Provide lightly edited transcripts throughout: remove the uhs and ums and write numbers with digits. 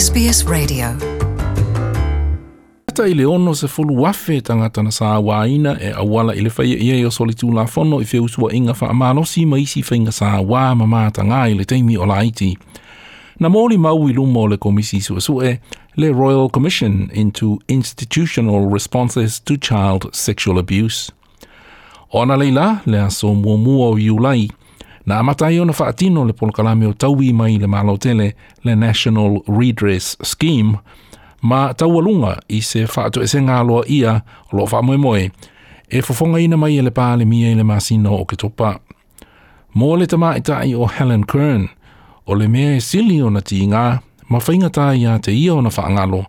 SBS Radio. Lata i le 60,000 tagata na sauaina e auala i le faia i ai o solitulafono i feusuaiga faamalosi ma isi faiga sauā ma matagā i le taimi o laiti. Na molimau i luma o le Komisi Suesue, le Royal Commission into Institutional Responses to Child Sexual Abuse. O analeila, le aso muamua o Iulai, na amata ai ona faatino le polokalame o taui mai le Malo tele, le National Redress Scheme, ma taualuga i se faatoesega aloaia o lo o faamoemoe e fofogaina mai e le Palemia i le masina o Oketopa. Mo le tamaitai o Helen Kern, o le mea e sili ona tiga ma faigata ia te ia ona faagalo,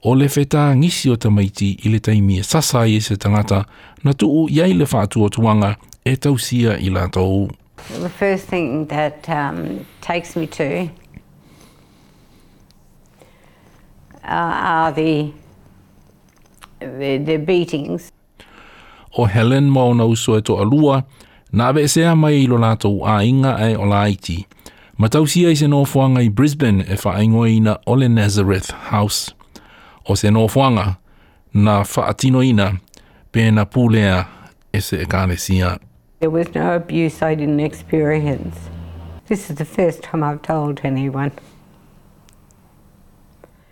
o le fetagisi o tamaiti i le taimi e sasa ai e se tagata na tuu i ai le faatuatuaga e tausia i latou. The first thing that takes me to are the the, the beatings. O Helen ma ona uso e toalua, na aveesea mai i lo latou aiga ae o laiti. Ma tausia i se nofoaga i Brisbane e faaigoaina o le Nazareth House. O se nofoaga na faatinoina pe na pulea e se ekalesia. There was no abuse I didn't experience. This is the first time I've told anyone.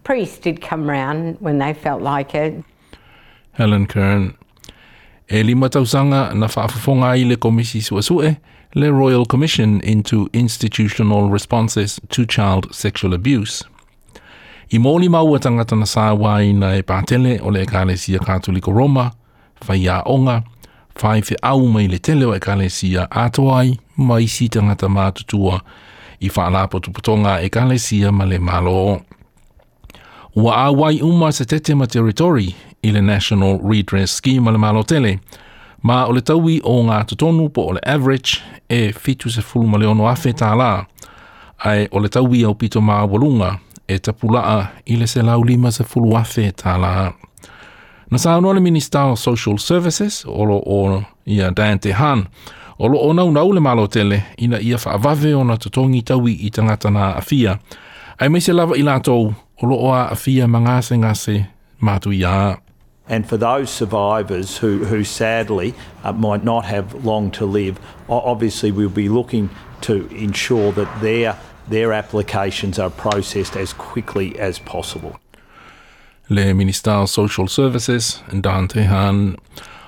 Priests did come round when they felt like it. Helen Kern. E lima tausaga na faafofoga ai le Komisi Suesue, le Royal Commission into Institutional Responses to Child Sexual Abuse. I molimau a tagata na sauaina e patele o le Ekalesia Katoliko Roma, faiaoga, faifeau mai le tele o ekalesia atoa ai ma isi tagata matutua i faalapotopotoga a ekalesia ma le Malo. Ua auai uma se tete ma territory i le National Redress Scheme a le Malo tele, ma o le taui o ngā totonu po o le average e 76,000 tālā, ae o le taui aupito maualuga e tapulaa i le 150,000 tālā. Na saunoa le Minista o Social Services o lo o ia Dan Tehan, o lo o naunau le Malo tele ina ia faavave ona totogi taui i tagata na aafia, aemaise lava i latou o lo o aafia ma gasegase matuia. And for those survivors who, who sadly might not have long to live, obviously we'll be looking to ensure that their, their applications are processed as quickly as possible. Le Minista o Social Services, Dan Tehan.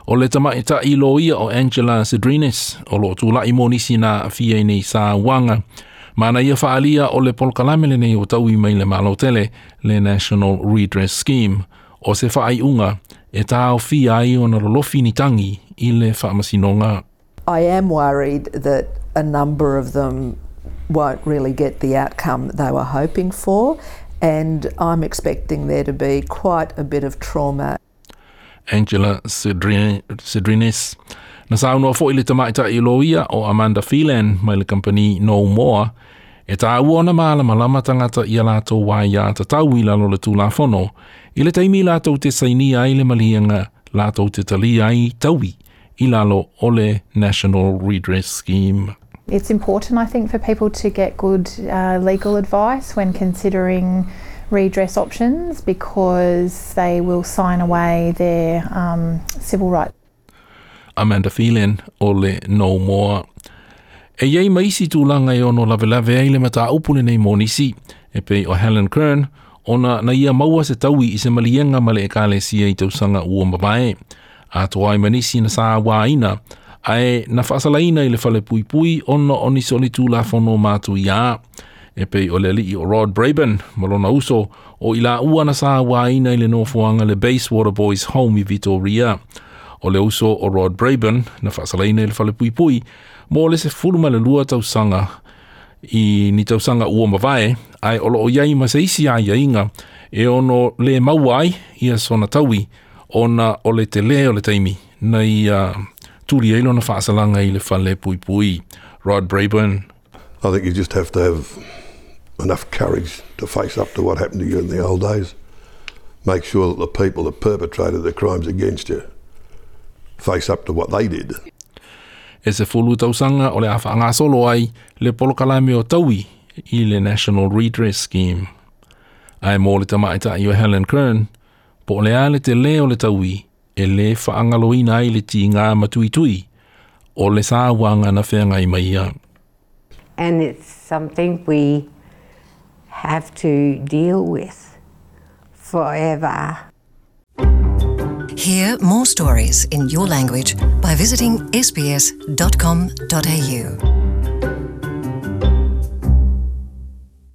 O le tamaitai loia o Angela Sdrinis, o lo o tulai mo nisi na aafia i nei sauaga, ma na ia faaalia o le polokalame lenei o taui mai le Malo tele, le National Redress Scheme, o se faaiuga e taofia ai ona lolofi ni tagi i le faamasinoga. I am worried that a number of them won't really get the outcome they were hoping for, and I'm expecting there to be quite a bit of trauma. Angela Sdrinis. Na saunoa foi le tamaitai loia o Amanda Phelan mai le kamupani No More, e tāua ona malamalama tagata i a latou aiatatau i lalo o le Tulafono, i le taimi latou te sainia ai le maliega latou te talia ai taui i lalo o le National Redress Scheme. It's important, I think, for people to get good legal advice when considering redress options because they will sign away their civil rights. Amanda Phelan o le No More. E i ai ma isi tulaga e ono lavelave ai le mataupu lenei mo nisi, e pei o Helen Kern, ona na ia maua se taui i se maliega ma le ekalesia i tausaga ua mavae. Atoa ai ma nisi na sauaina, ae na faasalaina i le fale puipui ona o nisi o solitulafono matuia. E pei o le alii o Rod Braben ma lona uso o i laua na sauaina i le nofoaga le Bayswater Boys Home i Vitoria. O le uso o Rod Braben na faasalaina i le fale puipui mo le 12 tausaga i ni tausaga ua mavae, ae o lo o i ai ma se isi aiaiga e ono le maua ai ia sona taui ona o le telē o le taimi na ia tuli ai lona faasalaga i le fale puipui. Rod Braben. I think you just have to have enough courage to face up to what happened to you in the old days. Make sure that the people that perpetrated the crimes against you face up to what they did. E 10 tausaga o le a faagasolo ai le polokalame o taui i le National Redress Scheme. Ae mo le tamaitai o Helen Kern, po o le a le telē o le taui, e lē faagaloina ai le tigā matuitui o le sauaga na feagai ma ia. And it's something we have to deal with forever. Hear more stories in your language by visiting sbs.com.au.